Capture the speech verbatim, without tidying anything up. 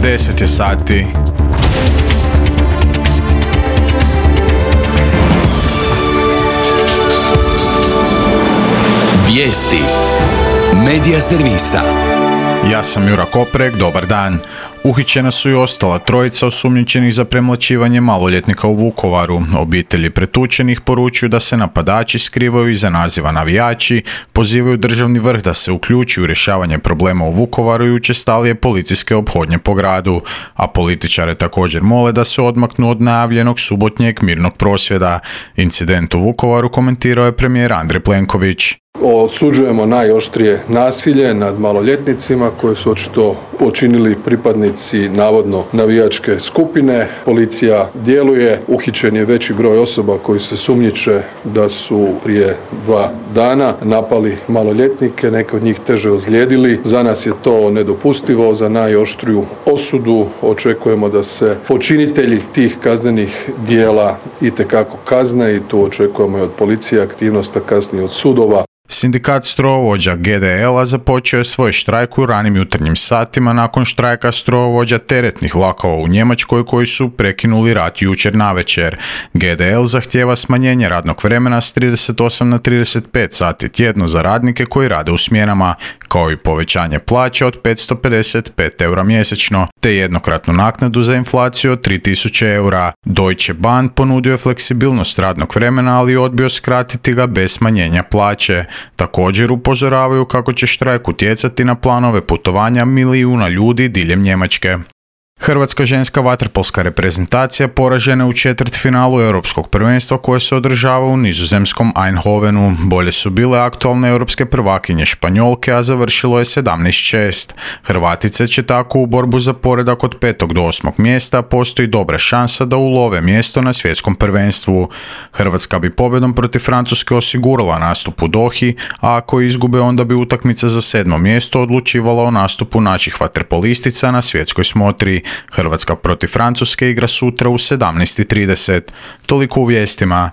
deset je sati. Vijesti Medija servisa. Ja sam Jura Koprek, dobar dan. Uhićena su i ostala trojica osumnjičenih za premlaćivanje maloljetnika u Vukovaru. Obitelji pretučenih poručuju da se napadači skrivaju iza naziva navijači, pozivaju državni vrh da se uključi u rješavanje problema u Vukovaru i učestalije policijske ophodnje po gradu, a političare također mole da se odmaknu od najavljenog subotnjeg mirnog prosvjeda. Incident u Vukovaru komentirao je premijer Andrej Plenković. Osuđujemo najoštrije nasilje nad maloljetnicima koje su očito počinili pripadnici navodno navijačke skupine. Policija djeluje, uhićen je veći broj osoba koji se sumnjiče da su prije dva dana napali maloljetnike, neke od njih teže ozlijedili. Za nas je to nedopustivo, za najoštriju osudu. Očekujemo da se počinitelji tih kaznenih djela itekako kazne i tu očekujemo i od policije aktivnost, a kasnije od sudova. Sindikat strojovođa G D L-a započeo je svoj štrajk u ranim jutarnjim satima nakon štrajka strojovođa teretnih vlakova u Njemačkoj koji su prekinuli rad jučer navečer. G D L zahtijeva smanjenje radnog vremena s trideset osam na trideset pet sati tjedno za radnike koji rade u smjenama, kao i povećanje plaće od petsto pedeset pet eura mjesečno, te jednokratnu naknadu za inflaciju od tri tisuće eura. Deutsche Bahn ponudio je fleksibilnost radnog vremena, ali odbio skratiti ga bez smanjenja plaće. Također upozoravaju kako će štrajk utjecati na planove putovanja milijuna ljudi diljem Njemačke. Hrvatska ženska vaterpolska reprezentacija poražena u četvrtfinalu europskog prvenstva koje se održava u nizozemskom Eindhovenu. Bolje su bile aktualne europske prvakinje Španjolke, a završilo je sedamnaest šest. Hrvatice će tako u borbu za poredak od petog do osmog mjesta, postoji dobra šansa da ulove mjesto na svjetskom prvenstvu. Hrvatska bi pobjedom protiv Francuske osigurala nastup u Dohi, a ako izgube onda bi utakmica za sedmo mjesto odlučivala o nastupu naših vaterpolistica na svjetskoj smotri. Hrvatska protiv Francuske igra sutra u sedamnaest i trideset. Toliko u vijestima.